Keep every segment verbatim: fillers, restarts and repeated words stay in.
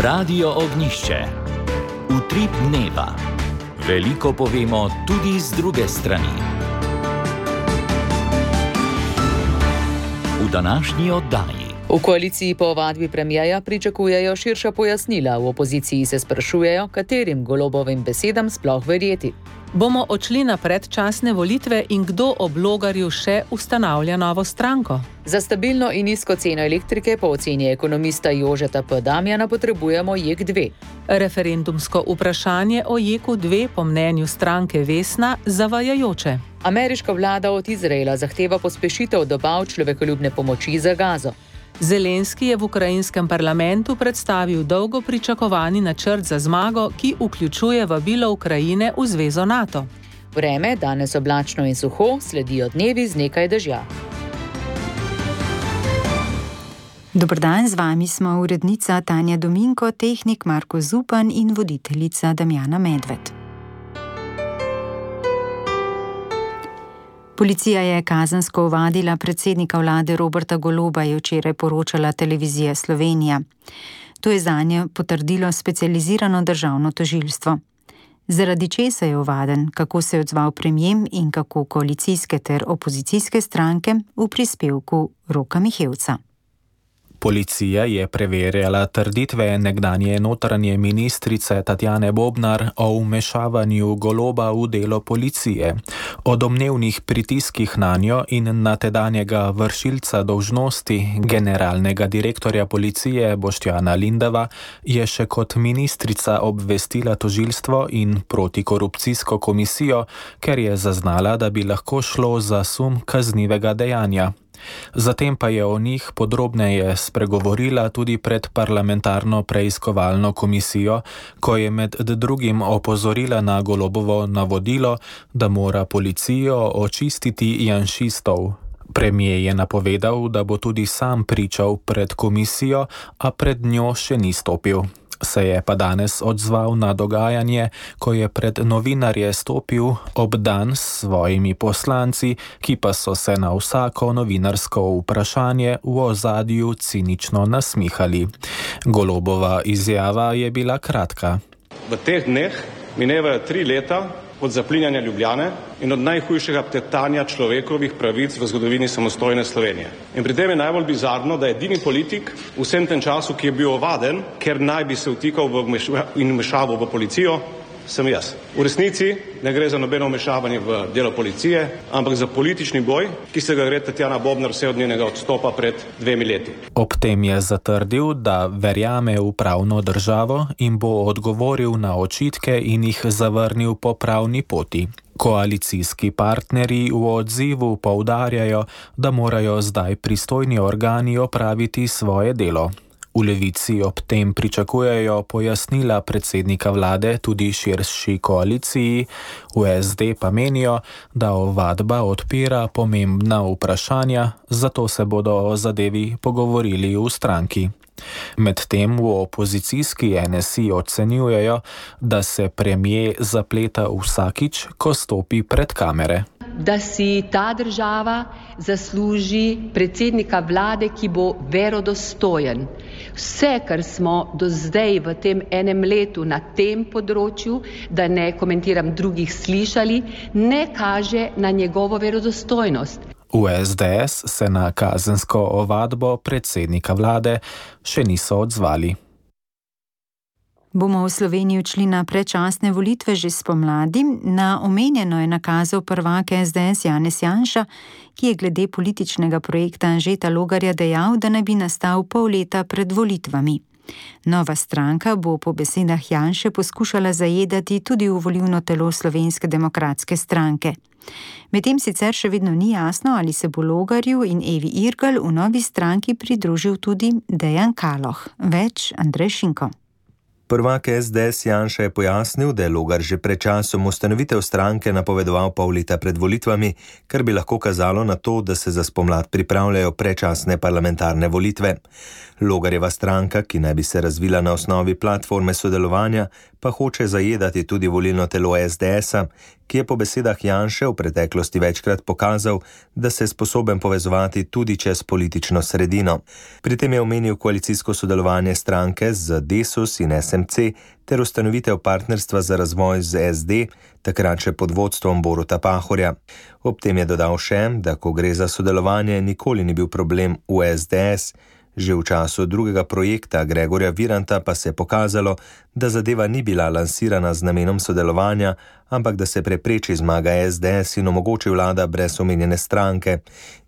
Radio Ognišče. Utrip dneva. Veliko povemo tudi z druge strani. V današnji oddaji. V koaliciji po ovadbi premierja pričakujejo širša pojasnila, v opoziciji se sprašujejo, katerim Golobovim besedam sploh verjeti. Bomo odšli na predčasne volitve in kdo ob Logarju še ustanavlja novo stranko? Za stabilno in nizko ceno elektrike po oceni ekonomista Jožeta P. Damjana potrebujemo J E K dve. Referendumsko vprašanje o J E K dve po mnenju stranke Vesna zavajajoče. Ameriška vlada od Izraela zahteva pospešitev dobav človekoljubne pomoči za Gazo. Zelenski je v ukrajinskem parlamentu predstavil dolgo pričakovani načrt za zmago, ki vključuje vabilo Ukrajine v zvezo NATO. Vreme, danes oblačno in suho, sledijo dnevi z nekaj dežja. Dober dan, z vami smo urednica Tanja Dominko, tehnik Marko Zupan in voditeljica Damjana Medved. Policija je kazensko ovadila predsednika vlade Roberta Goloba, je včeraj poročala televizija Slovenija. To je zanje potrdilo specializirano državno tožilstvo. Zaradi česa je ovaden, kako se je odzval premier in kako koalicijske ter opozicijske stranke, v prispevku Roka Mihevca. Policija je preverjala trditve nekdanje notranje ministrice Tatjane Bobnar o vmešavanju Goloba v delo policije, o domnevnih pritiskih nanjo in na tedanjega vršilca dolžnosti generalnega direktorja policije Boštjana Lindava je še kot ministrica obvestila tožilstvo in protikorupcijsko komisijo, ker je zaznala, da bi lahko šlo za sum kaznivega dejanja. Zatem pa je o njih podrobneje spregovorila tudi pred parlamentarno preiskovalno komisijo, ko je med drugim opozorila na Golobovo navodilo, da mora policijo očistiti janšistov. Premier je napovedal, da bo tudi sam pričal pred komisijo, a pred njo še ni stopil. Se je pa danes odzval na dogajanje, ko je pred novinarje stopil obdan s svojimi poslanci, ki pa so se na vsako novinarsko vprašanje v ozadju cinično nasmihali. Golobova izjava je bila kratka. V teh dneh minevajo tri leta od zaplinjanja Ljubljane in od najhujšega teptanja človekovih pravic v zgodovini samostojne Slovenije. In pri tem je najbolj bizarno, da je edini politik v vsem tem času, ki je bil ovaden, ker naj bi se vtikal v in vmešaval v policijo, sem jaz. V resnici ne gre za nobeno vmešavanje v delo policije, ampak za politični boj, ki se ga gre Tatjana Bobnar vse od njenega odstopa pred dvemi leti. Ob tem je zatrdil, da verjame v pravno državo in bo odgovoril na očitke in jih zavrnil po pravni poti. Koalicijski partnerji v odzivu poudarjajo, da morajo zdaj pristojni organi opraviti svoje delo. V Levici ob tem pričakujejo pojasnila predsednika vlade tudi širši koaliciji, v S D pa menijo, da ovadba odpira pomembna vprašanja, zato se bodo o zadevi pogovorili v stranki. Medtem v opozicijski N S I ocenjujejo, da se premier zapleta vsakič, ko stopi pred kamere. Da si ta država zasluži predsednika vlade, ki bo verodostojen. Vse, kar smo do zdaj v tem enem letu na tem področju, da ne komentiram drugih, slišali, ne kaže na njegovo verodostojnost. V S D S se na kazensko ovadbo predsednika vlade še niso odzvali. Bomo v Sloveniji odšli na predčasne volitve že spomladi. Na omenjeno je nakazal prvak S D S Janez Janša, ki je glede političnega projekta Anžeta Logarja dejal, da naj bi nastal pol leta pred volitvami. Nova stranka bo po besedah Janše poskušala zajedati tudi v volilno telo Slovenske demokratske stranke. Medtem sicer še vedno ni jasno, ali se bo Logarju in Evi Irgl v novi stranki pridružil tudi Dejan Kaloh. Več Andrej Šinko. Prvak S D S Janša je pojasnil, da je Logar že pred časom ustanovitev stranke napovedoval pol leta pred volitvami, kar bi lahko kazalo na to, da se za spomlad pripravljajo predčasne parlamentarne volitve. Logarjeva stranka, ki naj bi se razvila na osnovi platforme sodelovanja, pa hoče zajedati tudi volilno telo S D S-a, ki je po besedah Janše v preteklosti večkrat pokazal, da se je sposoben povezovati tudi čez politično sredino. Pri tem je omenil koalicijsko sodelovanje stranke z Desus in S M C ter ustanovitev partnerstva za razvoj z S D, takrat še pod vodstvom Boruta Pahorja. Ob tem je dodal še, da ko gre za sodelovanje, nikoli ni bil problem v S D S. Že v času drugega projekta Gregorja Viranta pa se je pokazalo, da zadeva ni bila lansirana z namenom sodelovanja, ampak da se prepreči zmaga S D S in omogoči vlada brez omenjene stranke,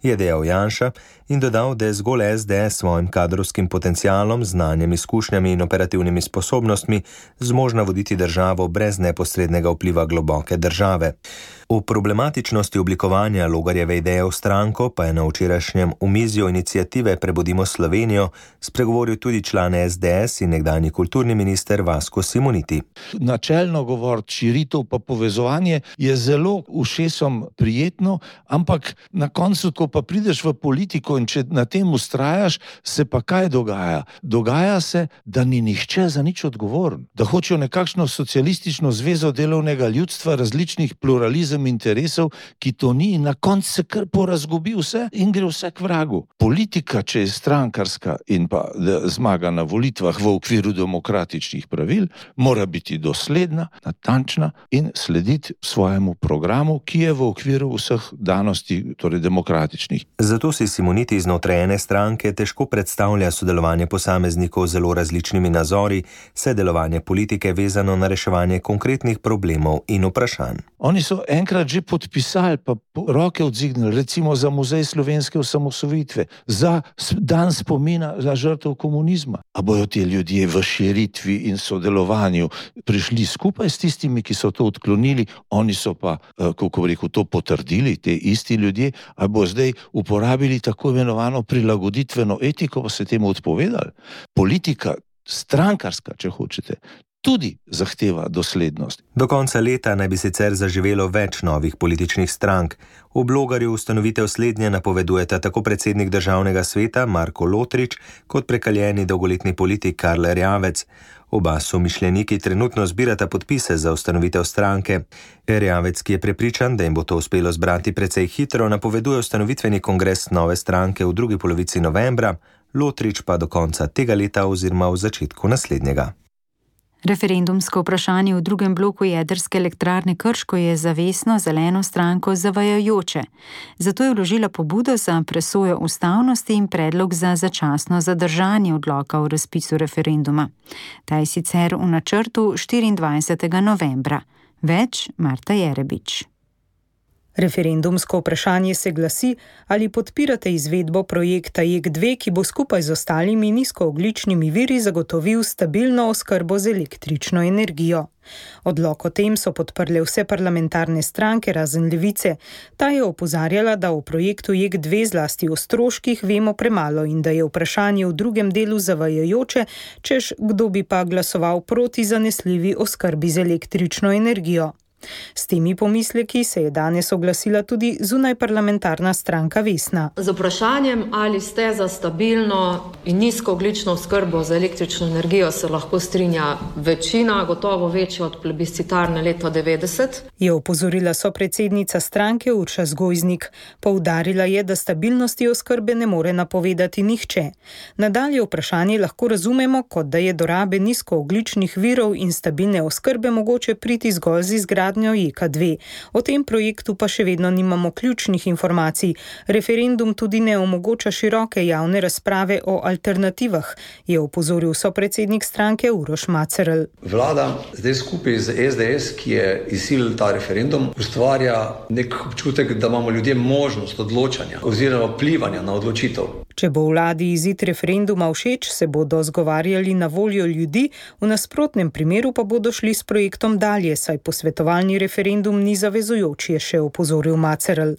je dejal Janša in dodal, da je zgolj S D S svojim kadrovskim potencialom, znanjem, izkušnjami in operativnimi sposobnostmi zmožna voditi državo brez neposrednega vpliva globoke države. O problematičnosti oblikovanja Logarjeve ideje v stranko pa je na včerajšnjem omizju iniciative Prebudimo Slovenijo spregovoril tudi član S D S in nekdanji kulturni minister Vasko Simoniti. Načelno govoriti, širitev pa povezovanje je zelo ušesom prijetno, ampak na koncu, ko pa prideš v politiko in če na tem ustrajaš, se pa kaj dogaja? Dogaja se, da ni nihče za nič odgovoren, da hočejo nekakšno socialistično zvezo delovnega ljudstva, različnih pluralizem interesov, ki to ni, in na koncu se kar porazgubi vse in gre vse k vragu. Politika, če je strankarska in pa zmaga na volitvah v okviru demokratičnih pravil, mora biti dosledna, natančna in slediti svojemu programu, ki je v okviru vseh danosti, torej demokratičnih. Zato si Simoniti znotraj ene stranke težko predstavlja sodelovanje posameznikov z zelo različnimi nazori, saj delovanje politike vezano na reševanje konkretnih problemov in vprašanj. Oni so enkrat že podpisali, pa roke odzignili, recimo za Muzej slovenske osamosvojitve, za dan spomina za žrtev komunizma. A bojo ti ljudje v širitvi in sodelovanju prišli skupaj s tistimi, ki so to odklonili, oni so pa, kako rekel, to potrdili, te isti ljudje, a bo zdaj uporabili tako imenovano prilagoditveno etiko, pa se temu odpovedali. Politika, strankarska, če hočete, tudi zahteva doslednost. Do konca leta naj bi sicer zaživelo več novih političnih strank. V Logarju ustanovitev slednje napovedujeta tako predsednik državnega sveta Marko Lotrič kot prekaljeni dolgoletni politik Karl Erjavec. Oba somišljeniki trenutno zbirata podpise za ustanovitev stranke. Erjavec, ki je prepričan, da jim bo to uspelo zbrati precej hitro, napoveduje ustanovitveni kongres nove stranke v drugi polovici novembra, Lotrič pa do konca tega leta oziroma v začetku naslednjega. Referendumsko vprašanje v drugem bloku jedrske elektrarne Krško je za Vesno zeleno stranko zavajajoče. Zato je vložila pobudo za presojo ustavnosti in predlog za začasno zadržanje odloka o razpisu referenduma. Ta je sicer v načrtu štiriindvajsetega novembra. Več Marta Jerebič. Referendumsko vprašanje se glasi, ali podpirate izvedbo projekta J E K dve, ki bo skupaj z ostalimi nizkoogljičnimi viri zagotovil stabilno oskrbo z električno energijo. Odlok o tem so podprle vse parlamentarne stranke razen Levice. Ta je opozarjala, da o projektu J E K dve zlasti o stroških vemo premalo in da je vprašanje v drugem delu zavajajoče, češ kdo bi pa glasoval proti zanesljivi oskrbi z električno energijo. S temi pomisleki se je danes oglasila tudi zunajparlamentarna stranka Vesna. Z vprašanjem, ali ste za stabilno in nizkoogljično oskrbo z električno energijo, se lahko strinja večina, gotovo večja od plebiscitarne leta devetdeset. Je opozorila sopredsednica stranke Urša Zgojznik. Poudarila je, da stabilnosti oskrbe ne more napovedati nihče. Nadalje vprašanje lahko razumemo, kot da je do rabe nizkoogljičnih virov in stabilne oskrbe mogoče priti zgolj z izgradnjo J E K dve. O tem projektu pa še vedno nimamo ključnih informacij. Referendum tudi ne omogoča široke javne razprave o alternativah, je opozoril sopredsednik stranke Uroš Macerl. Vlada zdaj skupaj z S D S, ki je izsilil ta referendum, ustvarja nek občutek, da imamo ljudje možnost odločanja oziroma vplivanja na odločitev. Če bo vladi izid referenduma všeč, se bodo zgovarjali na voljo ljudi, v nasprotnem primeru pa bodo šli s projektom dalje, saj posvetovalni referendum ni zavezujoč, je še opozoril Macerl.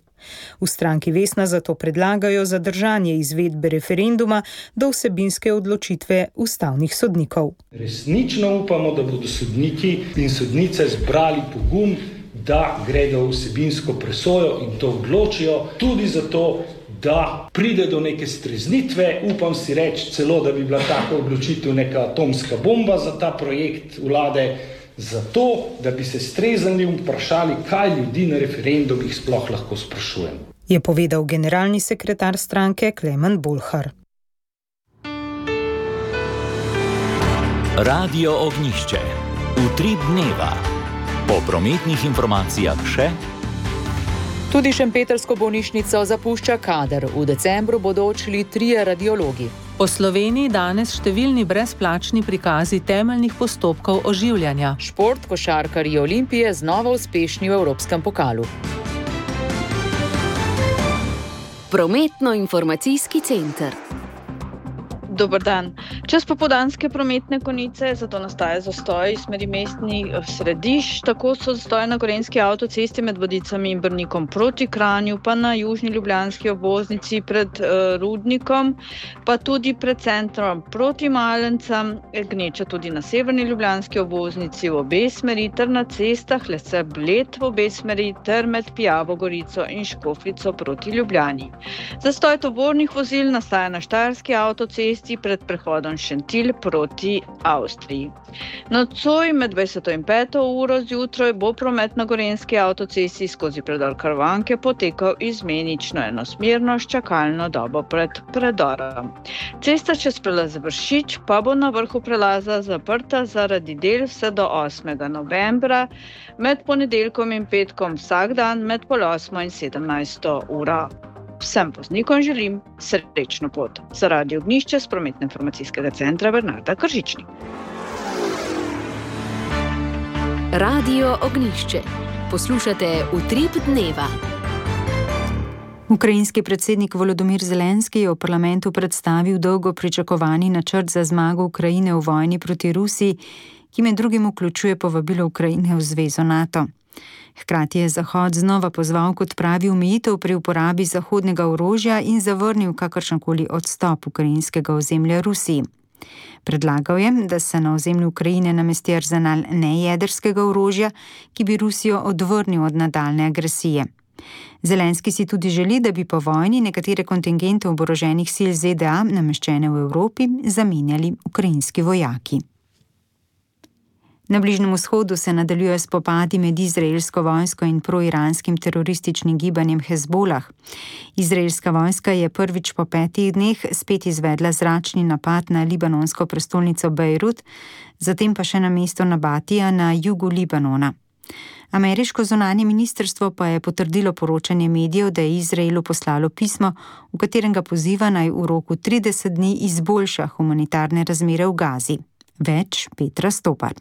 V stranki Vesna zato predlagajo zadržanje izvedbe referenduma do vsebinske odločitve ustavnih sodnikov. Resnično upamo, da bodo sodniki in sodnice zbrali pogum, da gredo v vsebinsko presojo in to odločijo, tudi zato, da pride do neke streznitve. Upam si reči celo, da bi bila taka odločitev neka atomska bomba za ta projekt vlade, zato, da bi se streznili vprašali, kaj ljudi na referendumih sploh lahko sprašujemo. Je povedal generalni sekretar stranke Klemen Bulhar. Radio Ognjišče. Utrip dneva. Po prometnih informacijah še. Tudi šempetrsko bolnišnico zapušča kader. V decembru bodo odšli trije radiologi. Po Sloveniji danes številni brezplačni prikazi temeljnih postopkov oživljanja. Šport, košarkarji Olimpije znova uspešni v Evropskem pokalu. Prometno-informacijski center. Dober dan. Čez popoldanske prometne konice, zato nastaja zastoj iz smeri mestnih središč. Tako so zastoji na gorenjski avtocesti med Vodicami in Brnikom proti Kranju, pa na južni ljubljanski obvoznici pred uh, Rudnikom, pa tudi pred centrom proti Malencam, gneča tudi na severni ljubljanski obvoznici v obe smeri, ter na cestah Lese Bled v obe smeri, ter med Pijavo Gorico in Škofljico proti Ljubljani. Zastoj tovornih vozil nastaja na štajerski avtocesti pred prehodom Šentilj proti Avstriji. Nocoj med dvajseto in peto uro zjutraj bo promet na gorenjski avtocesti skozi predor Karvanke potekal izmenično enosmerno s čakalno dobo pred predorom. Cesta čez prelaz Vršič pa bo na vrhu prelaza zaprta zaradi del vse do osmega novembra, med ponedeljkom in petkom vsak dan med pol osmo in sedemnajsto uro. Vsem voznikom želim srečno pot. Za Radio Ognjišče s prometno-informacijskega centra Bernarda Kržičnik. Radio Ognjišče. Poslušate Utrip dneva. Ukrajinski predsednik Volodymyr Zelenski je v parlamentu predstavil dolgo pričakovani načrt za zmago Ukrajine v vojni proti Rusiji, ki med drugim vključuje povabilo Ukrajine v zvezo NATO. Hkrati je Zahod znova pozval k odpravi omejitev pri uporabi zahodnega orožja in zavrnil kakršenkoli odstop ukrajinskega ozemlja Rusiji. Predlagal je, da se na ozemlju Ukrajine namesti arzenal nejedrskega orožja, ki bi Rusijo odvrnil od nadaljne agresije. Zelenski si tudi želi, da bi po vojni nekatere kontingente oboroženih sil Z D A nameščene v Evropi zamenjali ukrajinski vojaki. Na Bližnjem vzhodu se nadaljujejo spopadi med izraelsko vojsko in proiranskim terorističnim gibanjem Hezbolah. Izraelska vojska je prvič po petih dneh spet izvedla zračni napad na libanonsko prestolnico Bejrut, zatem pa še na mesto Nabatija na jugu Libanona. Ameriško zunanje ministrstvo pa je potrdilo poročanje medijev, da je Izraelu poslalo pismo, v katerem ga poziva naj v roku trideset dni izboljša humanitarne razmere v Gazi. Več Petra Stopar.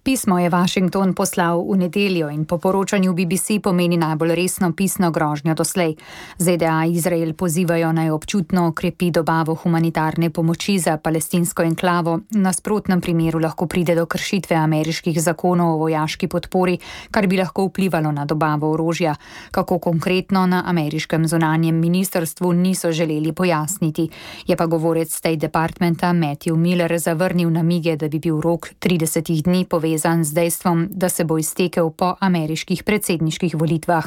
Pismo je Washington poslal v nedeljo in po poročanju B B C pomeni najbolj resno pisno grožnjo doslej. Z D A Izrael pozivajo naj občutno okrepi dobavo humanitarne pomoči za palestinsko enklavo. V nasprotnem primeru lahko pride do kršitve ameriških zakonov o vojaški podpori, kar bi lahko vplivalo na dobavo orožja. Kako konkretno, na ameriškem zunanjem ministrstvu niso želeli pojasniti. Je pa govorec State Departmenta Matthew Miller zavrnil namige, da bi bil rok tridesetih dni povezan z dejstvom, da se bo iztekel po ameriških predsedniških volitvah.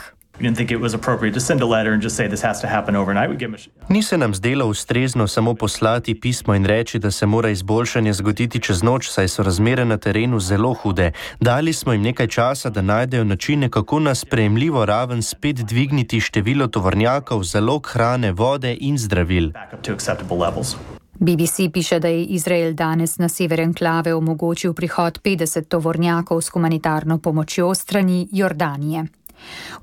Ni se nam zdelo ustrezno samo poslati pismo in reči, da se mora izboljšanje zgoditi čez noč, saj so razmere na terenu zelo hude. Dali smo jim nekaj časa, da najdejo načine, kako na sprejemljivo raven spet dvigniti število tovornjakov, zalog hrane, vode in zdravil. B B C piše, da je Izrael danes na sever enklave omogočil prihod petdeset tovornjakov s humanitarno pomočjo strani Jordanije.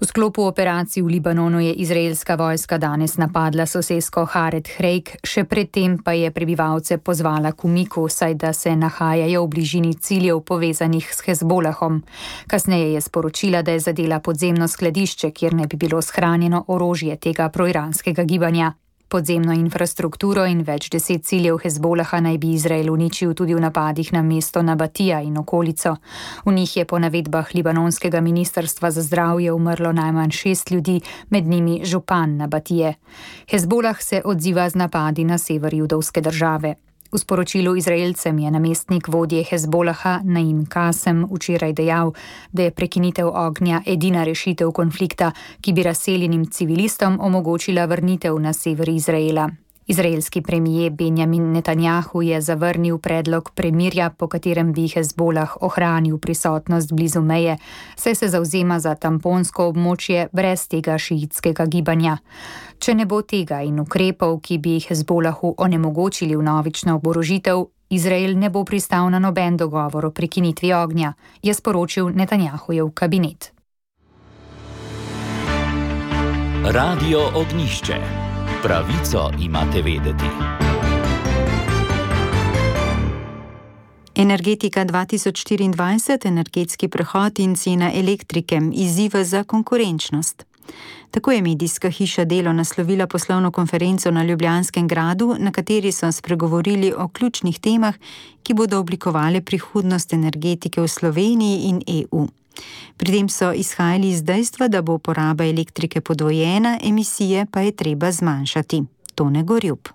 V sklopu operacij v Libanonu je izraelska vojska danes napadla sosesko Hared Hrejk, še predtem pa je prebivalce pozvala k umiku, saj da se nahajajo v bližini ciljev povezanih s Hezbolahom. Kasneje je sporočila, da je zadela podzemno skladišče, kjer ne bi bilo shranjeno orožje tega proiranskega gibanja. Podzemno infrastrukturo in več deset ciljev Hezbolaha naj bi Izrael uničil tudi v napadih na mesto Nabatija in okolico. V njih je po navedbah libanonskega ministrstva za zdravje umrlo najmanj šest ljudi, med njimi župan Nabatije. Hezbolah se odziva z napadi na sever judovske države. V sporočilu Izraelcem je namestnik vodje Hezbolaha Naim Kasem včeraj dejal, da je prekinitev ognja edina rešitev konflikta, ki bi razseljenim civilistom omogočila vrnitev na sever Izraela. Izraelski premijer Benjamin Netanjahu je zavrnil predlog premirja, po katerem bi Hezbolah ohranil prisotnost blizu meje, saj se zavzema za tamponsko območje brez tega šiitskega gibanja. Če ne bo tega in ukrepov, ki bi Hezbolahu onemogočili vnovično oborožitev, Izrael ne bo pristal na noben dogovor o prekinitvi ognja, je sporočil Netanjahujev kabinet. Radio Ognjišče. Pravico imate vedeti. Energetika dva tisoč štiriindvajset, energetski prehod in cena elektrike, izziva za konkurenčnost. Tako je medijska hiša Delo naslovila poslovno konferenco na Ljubljanskem gradu, na kateri so spregovorili o ključnih temah, ki bodo oblikovale prihodnost energetike v Sloveniji in E U. Pri tem so izhajali iz dejstva, da bo poraba elektrike podvojena, emisije pa je treba zmanjšati. Tone Gorjup.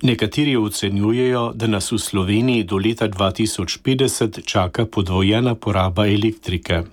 Nekateri ocenjujejo, da nas v Sloveniji do leta dva tisoč petdeset čaka podvojena poraba elektrike.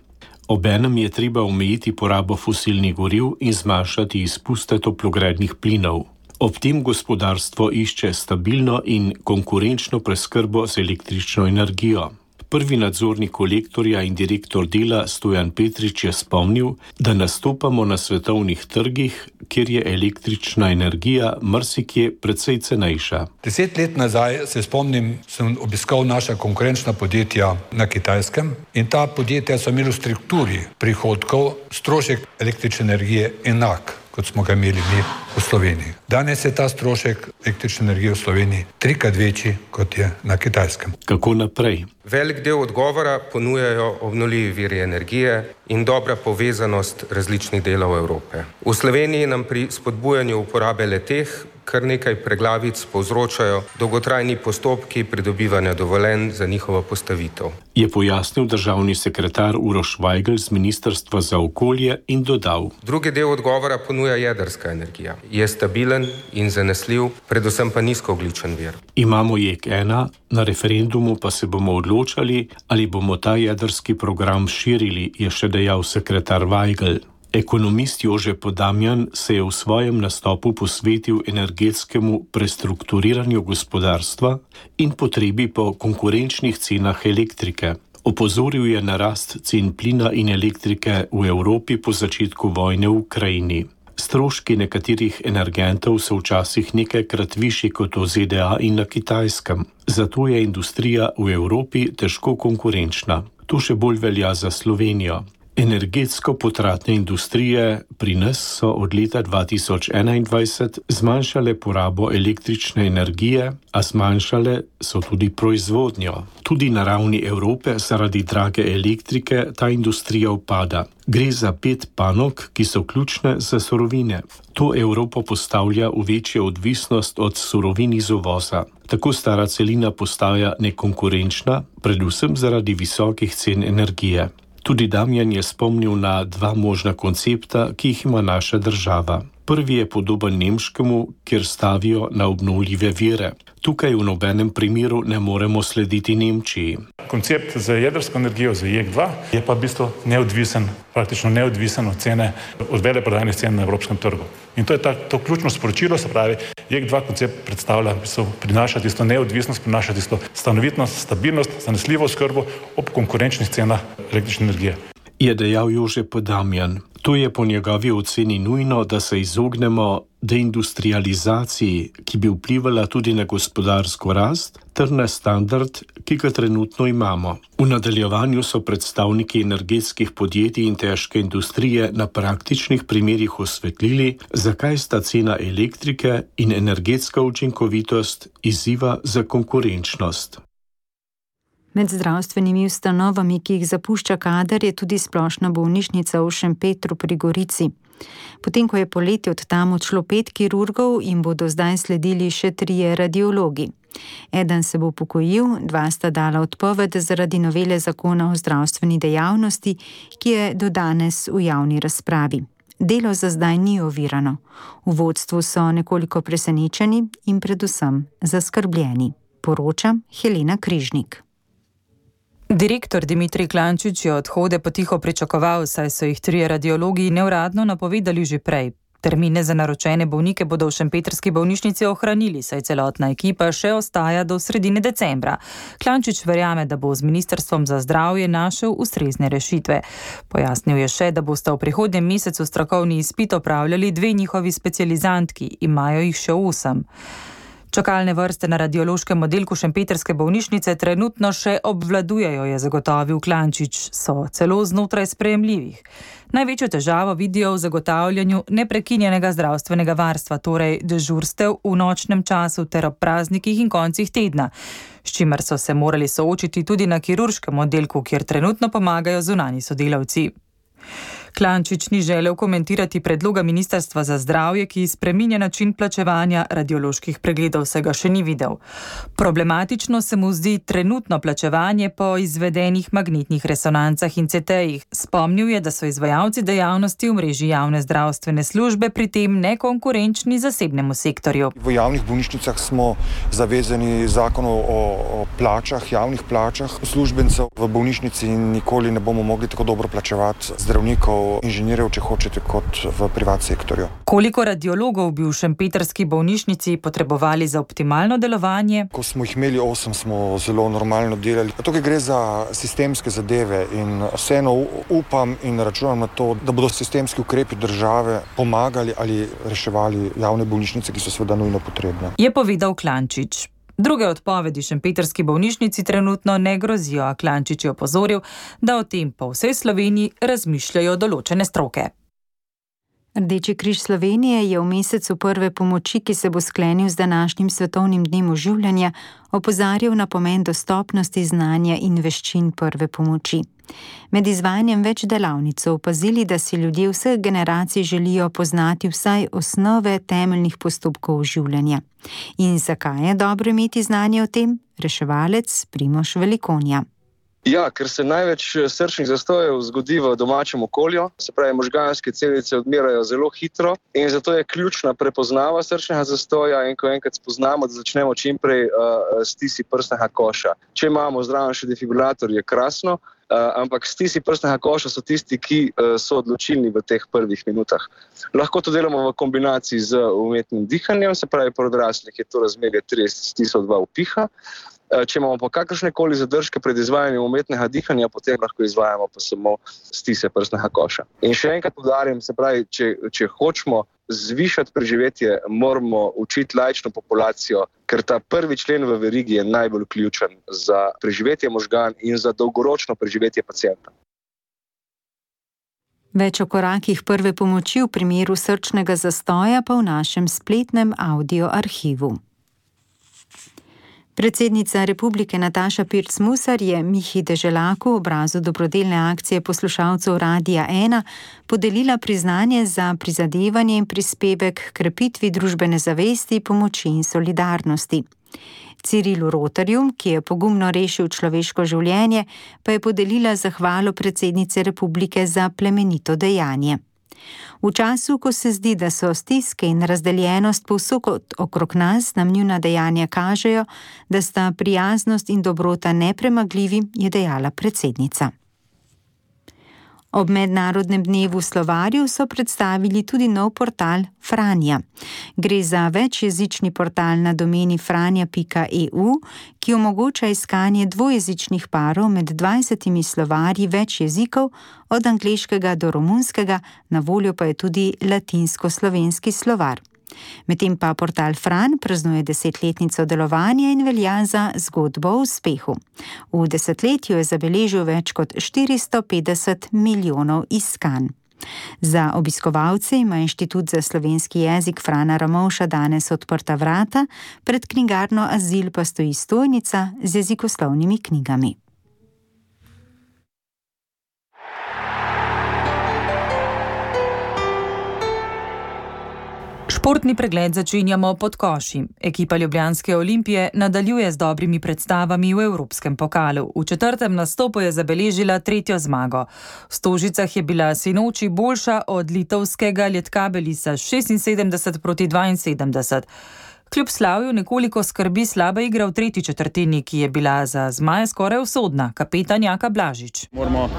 Obenem je treba omejiti porabo fosilnih goriv in zmanjšati izpuste toplogrednih plinov. Ob tem gospodarstvo išče stabilno in konkurenčno preskrbo z električno energijo. Prvi nadzornik Kolektorja in direktor Dela Stojan Petrič je spomnil, da nastopamo na svetovnih trgih, kjer je električna energija marsikje precej cenejša. Deset let nazaj, se spomnim, sem obiskal naša konkurenčna podjetja na Kitajskem in ta podjetja so imeli v strukturi prihodkov strošek električne energije enak, kot smo ga imeli mi v Sloveniji. Danes je ta strošek električne energije v Sloveniji trikrat večji, kot je na Kitajskem. Kako naprej? Velik del odgovora ponujajo obnovljivi viri energije in dobra povezanost različnih delov Evrope. V Sloveniji nam pri spodbujanju uporabe le-teh kar nekaj preglavic povzročajo dolgotrajni postopki pridobivanja dovoljenj za njihovo postavitev. Je pojasnil državni sekretar Uroš Vajgl z Ministrstva za okolje in dodal. Drugi del odgovora ponuja jedrska energija. Je stabilen in zanesljiv, predvsem pa nizkoogljičen vir. Imamo J E K ena, na referendumu pa se bomo odločali, ali bomo ta jedrski program širili, je še dejal sekretar Vajgl. Ekonomist Jože Podamjan se je v svojem nastopu posvetil energetskemu prestrukturiranju gospodarstva in potrebi po konkurenčnih cenah elektrike. Opozoril je na rast cen plina in elektrike v Evropi po začetku vojne v Ukrajini. Stroški nekaterih energentov so včasih nekajkrat višji kot v Z D A in na Kitajskem. Zato je industrija v Evropi težko konkurenčna. To še bolj velja za Slovenijo. Energetsko potratne industrije pri nas so od leta dva tisoč enaindvajset zmanjšale porabo električne energije, a zmanjšale so tudi proizvodnjo. Tudi na ravni Evrope zaradi drage elektrike ta industrija upada. Gre za pet panog, ki so ključne za surovine. To Evropo postavlja v večjo odvisnost od surovin iz uvoza. Tako stara celina postaja nekonkurenčna, predvsem zaradi visokih cen energije. Tudi Damjan je spomnil na dva možna koncepta, ki jih ima naša država. Prvi je podoben nemškemu, kjer stavijo na obnovljive vire. Tukaj v nobenem primeru ne moremo slediti Nemčiji. Koncept za jedrsko energijo, za J E K dva, je pa v bistvu neodvisen, praktično neodvisen od cene, od veleprodajnih cen na evropskem trgu. In to je ta, to ključno sporočilo, se pravi, J E K dva koncept predstavlja, v bistvu prinaša tisto neodvisnost, prinaša tisto stanovitnost, stabilnost, zanesljivo oskrbo ob konkurenčnih cenah električne energije. Je dejal Jože Podamjan. To je po njegovi oceni nujno, da se izognemo deindustrializaciji, ki bi vplivala tudi na gospodarsko rast, ter na standard, ki ga trenutno imamo. V nadaljevanju so predstavniki energetskih podjetij in težke industrije na praktičnih primerih osvetlili, zakaj sta cena elektrike in energetska učinkovitost izziva za konkurenčnost. Med zdravstvenimi ustanovami, ki jih zapušča kader, je tudi splošna bolnišnica v Šempetru pri Gorici. Potem, ko je poleti od tam odšlo pet kirurgov in bodo zdaj sledili še trije radiologi. Eden se bo upokojil, dva sta dala odpoved zaradi novele zakona o zdravstveni dejavnosti, ki je do danes v javni razpravi. Delo za zdaj ni ovirano. V vodstvu so nekoliko presenečeni in predvsem zaskrbljeni. Poroča Helena Križnik. Direktor Dimitrij Klančič je odhode potiho pričakoval, saj so jih trije radiologi neuradno napovedali že prej. Termine za naročene bolnike bodo v šempetrski bolnišnici ohranili, saj celotna ekipa še ostaja do sredine decembra. Klančič verjame, da bo z Ministrstvom za zdravje našel ustrezne rešitve. Pojasnil je še, da bosta v prihodnjem mesecu strokovni izpit opravljali dve njihovi specializantki, imajo jih še osem. Čakalne vrste na radiološkem oddelku šempetrske bolnišnice trenutno še obvladujejo, je zagotovil Klančič, so celo znotraj sprejemljivih. Največjo težavo vidijo v zagotavljanju neprekinjenega zdravstvenega varstva, torej dežurstev v nočnem času ter ob praznikih in koncih tedna, s čimer so se morali soočiti tudi na kirurškem oddelku, kjer trenutno pomagajo zunanji sodelavci. Klančič ni želel komentirati predloga Ministrstva za zdravje, ki spreminja način plačevanja radioloških pregledov, se ga še ni videl. Problematično se mu zdi trenutno plačevanje po izvedenih magnetnih resonancah in C T-jih. Spomnil je, da so izvajalci dejavnosti v mreži javne zdravstvene službe pri tem nekonkurenčni zasebnemu sektorju. V javnih bolnišnicah smo zavezani zakonu o, o plačah, javnih plačah uslužbencev v bolnišnici in nikoli ne bomo mogli tako dobro plačevati zdravnikov, inženirjev, če hočete, kot v privat sektorju. Koliko radiologov bi v šempetrski bolnišnici potrebovali za optimalno delovanje? Ko smo jih imeli osem, smo zelo normalno delali. Tukaj gre za sistemske zadeve in vseeno upam in računam na to, da bodo sistemski ukrepi države pomagali ali reševali javne bolnišnice, ki so seveda nujno potrebne. Je povedal Klančič. Druge odpovedi šempetrski bolnišnici trenutno ne grozijo, a Klančič je opozoril, da o tem po vsej Sloveniji razmišljajo določene stroke. Rdeči križ Slovenije je v mesecu prve pomoči, ki se bo sklenil z današnjim svetovnim dnem oživljanja, opozarjal na pomen dostopnosti znanja in veščin prve pomoči. Med izvajanjem več delavnic so opazili, da si ljudje vseh generacij želijo poznati vsaj osnove temeljnih postopkov oživljanja. In zakaj je dobro imeti znanje o tem? Reševalec Primož Velikonja. Ja, ker se največ srčnih zastojev zgodi v domačem okolju, se pravi, možganske celice odmirajo zelo hitro in zato je ključna prepoznava srčnega zastoja in ko enkrat spoznamo, da začnemo čimprej uh, stisi prsnega koša. Če imamo zraven še defibrilator, je krasno, uh, ampak stisi prsnega koša so tisti, ki uh, so odločilni v teh prvih minutah. Lahko to delamo v kombinaciji z umetnim dihanjem, se pravi, pri odraslih je to razmerje trideset stisov dva vpiha. Če imamo pa kakršnekoli zadržke pred izvajanjem umetnega dihanja, potem lahko izvajamo pa samo stise prsnega koša. In še enkrat poudarim, se pravi, če, če hočemo zvišati preživetje, moramo učiti laično populacijo, ker ta prvi člen v verigi je najbolj ključen za preživetje možgan in za dolgoročno preživetje pacienta. Več o korakih prve pomoči v primeru srčnega zastoja pa v našem spletnem audio arhivu. Predsednica Republike Nataša Pirc Musar je Mihi Deželaku, obrazu dobrodelne akcije poslušalcev Radia ena, podelila priznanje za prizadevanje in prispevek k krepitvi družbene zavesti, pomoči in solidarnosti. Cirilu Rotarju, ki je pogumno rešil človeško življenje, pa je podelila zahvalo predsednice Republike za plemenito dejanje. V času, ko se zdi, da so stiske in razdeljenost povsod okrog nas, nam njuna dejanja kažejo, da sta prijaznost in dobrota nepremagljivi, je dejala predsednica. Ob mednarodnem dnevu slovarju so predstavili tudi nov portal Franja. Gre za večjezični portal na domeni franja pika e u, ki omogoča iskanje dvojezičnih parov med dvajsetimi slovarji več jezikov, od angleškega do romunskega, na voljo pa je tudi latinsko-slovenski slovar. Medtem pa portal Fran praznuje desetletnico delovanja in velja za zgodbo o uspehu. V desetletju je zabeležil več kot štiristo petdeset milijonov iskanj. Za obiskovalce ima Inštitut za slovenski jezik Frana Ramovša danes odprta vrata, pred knjigarno Azil pa stoji stojnica z jezikoslovnimi knjigami. Športni pregled začenjamo pod koši. Ekipa Ljubljanske Olimpije nadaljuje z dobrimi predstavami v Evropskem pokalu. V četrtem nastopu je zabeležila tretjo zmago. V Stožicah je bila sinoči boljša od litovskega Lietkabelisa šestinsedemdeset proti dvainsedemdeset. Kljub slavju nekoliko skrbi slaba igra v tretji četrtini, ki je bila za zmaje skoraj usodna. Kapetan Jaka Blažič. Moramo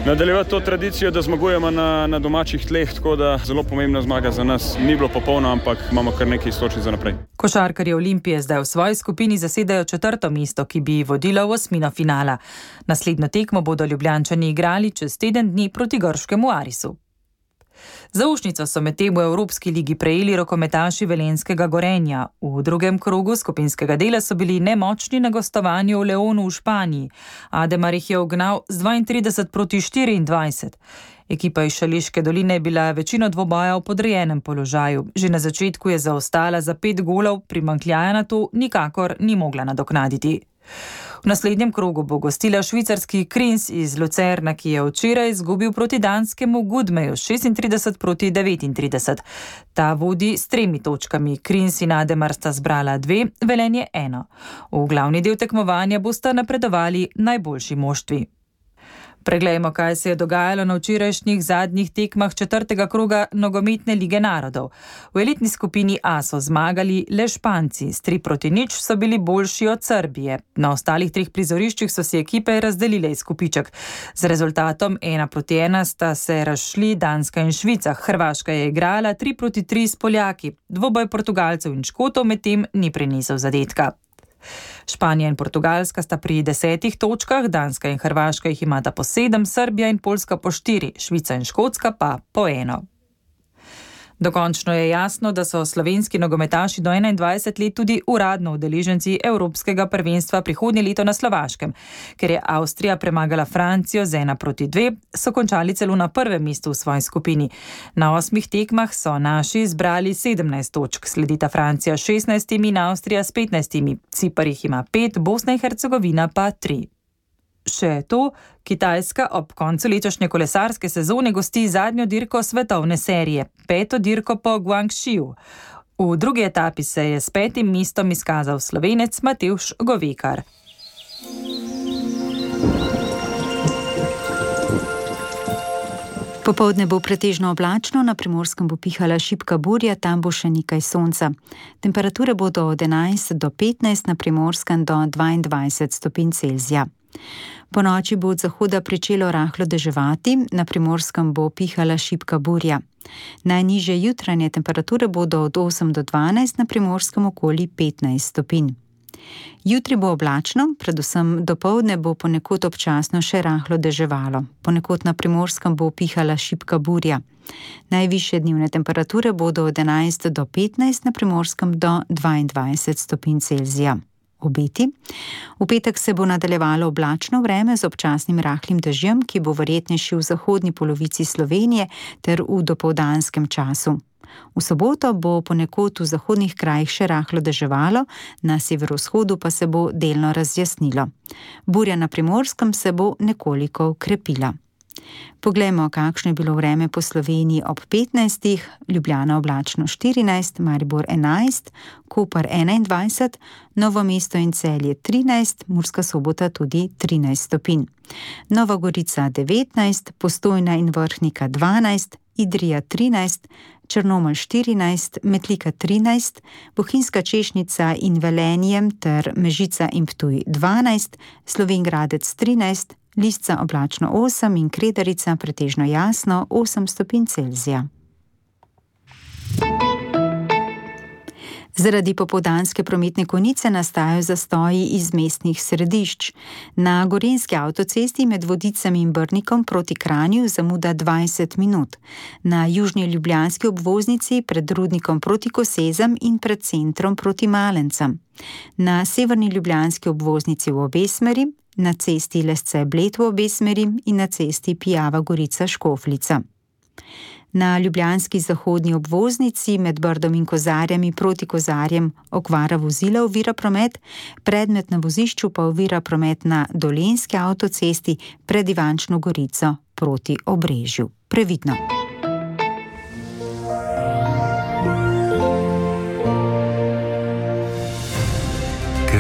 nadaljevati to tradicijo, da zmagujemo na, na domačih tleh, tako da zelo pomembna zmaga za nas. Ni bilo popolno, ampak imamo kar nekaj istočnic za naprej. Košarkarji Olimpije zdaj v svoji skupini zasedajo četrto mesto, ki bi vodilo v osmino finala. Naslednjo tekmo bodo Ljubljančani igrali čez teden dni proti grškemu Arisu. Zaušnico so medtem v Evropski ligi prejeli rokometaši velenjskega Gorenja. V drugem krogu skupinskega dela so bili nemočni na gostovanju v Leonu v Španiji. Ademar jih je ugnal z dvaintrideset proti štiriindvajset. Ekipa iz Šaleške doline je bila večino dvoboja v podrejenem položaju. Že na začetku je zaostala za pet golov, primanjkljaja na to nikakor ni mogla nadoknaditi. V naslednjem krogu bo gostila švicarski Krins iz Lucerna, ki je včeraj izgubil proti danskemu Gudmeju šestintrideset proti devetintrideset. Ta vodi s tremi točkami. Krins in Ademar sta zbrala dve, Velenje eno. V glavni del tekmovanja bosta napredovali najboljši moštvi. Preglejmo, kaj se je dogajalo na včerajšnjih zadnjih tekmah četrtega kroga nogometne lige narodov. V elitni skupini A so zmagali le Španci, s tri proti nič so bili boljši od Srbije. Na ostalih treh prizoriščih so si ekipe razdelile izkupiček. Z rezultatom ena proti ena sta se razšli Danska in Švica. Hrvaška je igrala tri proti tri s Poljaki. Dvoboj Portugalcev in Škotov medtem ni prinesel zadetka. Španija in Portugalska sta pri desetih točkah, Danska in Hrvaška jih imata po sedem, Srbija in Poljska po štiri, Švica in Škotska pa po eno. Dokončno je jasno, da so slovenski nogometaši do enaindvajset let tudi uradno udeleženci Evropskega prvenstva prihodnje leto na Slovaškem. Ker je Avstrija premagala Francijo z ena proti dve, so končali celo na prvem mestu v svoji skupini. Na osmih tekmah so naši zbrali sedemnajst točk, sledita Francija s šestnajstimi in Avstrija s petnajstimi. Cipar jih ima pet, Bosna in Hercegovina pa tri. Še to, Kitajska ob koncu letošnje kolesarske sezone gosti zadnjo dirko svetovne serije, peto dirko po Guangxiju. V drugi etapi se je s petim mestom izkazal Slovenec Matevž Govekar. Popoldne bo pretežno oblačno, na Primorskem bo pihala šibka burja, tam bo še nekaj sonca. Temperature bodo od enajst do petnajst, na Primorskem do dvaindvajset stopinj Celzija. Po noči bo od zahoda pričelo rahlo deževati, na Primorskem bo pihala šibka burja. Najnižje jutranje temperature bodo od osem do dvanajst, na Primorskem okoli petnajst stopinj. Jutri bo oblačno, predvsem dopoldne bo ponekod občasno še rahlo deževalo. Ponekod na Primorskem bo pihala šibka burja. Najvišje dnevne temperature bodo od enajst do petnajst, na Primorskem do dvaindvajset stopinj Celzija. Obeti. V petek se bo nadaljevalo oblačno vreme z občasnim rahlim dežjem, ki bo verjetnejši v zahodni polovici Slovenije ter v dopoldanskem času. V soboto bo ponekod v zahodnih krajih še rahlo deževalo, na severovzhodu pa se bo delno razjasnilo. Burja na Primorskem se bo nekoliko okrepila. Poglejmo, kakšno je bilo vreme po Sloveniji ob petnajstih, Ljubljana oblačno štirinajst, Maribor enajst, Koper enaindvajset, Novo mesto in Celje trinajst, Murska Sobota tudi trinajst stopinj. Nova Gorica devetnajst, Postojna in Vrhnika dvanajst, Idrija trinajst, Črnomelj štirinajst, Metlika trinajst, Bohinjska Češnica in Velenje ter Mežica in Ptuj dvanajst, Slovenj Gradec trinajst, Lisca oblačno osem in Kredarica pretežno jasno osem stopinj Celzija. Zaradi popoldanske prometne konice nastajajo zastoji iz mestnih središč. Na Gorenjski avtocesti med Vodicami in Brnikom proti Kranju zamuda dvajset minut. Na južni ljubljanski obvoznici pred Rudnikom proti Kosezam in pred centrom proti Malencem. Na severni ljubljanski obvoznici v obe smeri, na cesti Lesce-Bled v obe smeri in na cesti Pijava-Gorica-Škofljica. Na ljubljanski zahodni obvoznici med Brdom in Kozarjami proti Kozarjem okvara vozila ovira promet, predmet na vozišču pa ovira promet na Dolenjski avtocesti pred Ivančno Gorico proti Obrežju. Previdno!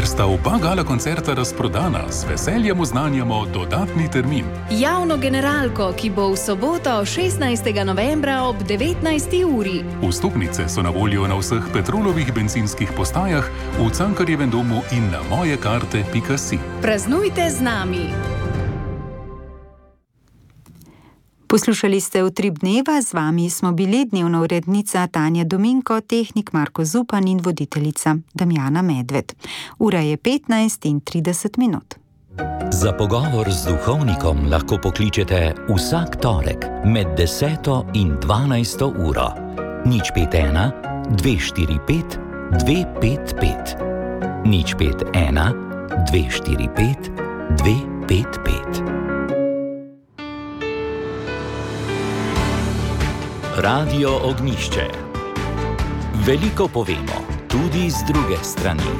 Ker sta oba gala koncerta razprodana, z veseljem oznanjamo dodatni termin. Javno generalko, ki bo v soboto šestnajstega novembra ob devetnajsti uri. Vstopnice so na voljo na vseh Petrolovih bencinskih postajah, v Cankarjevem domu in na mojekarte pika si. Praznujte z nami! Poslušali ste Utrip dneva, z vami smo bili dnevna urednica Tanja Dominko, tehnik Marko Zupan in voditeljica Damjana Medved. Ura je petnajst in trideset minut. Za pogovor z duhovnikom lahko pokličete vsak torek med deseto in dvanajsto uro. Nič pet ena, dve štiri pet, dve pet pet. Nič pet ena, dve štiri pet, dve pet pet. Radio Ognišče. Veliko povemo, tudi z druge strani.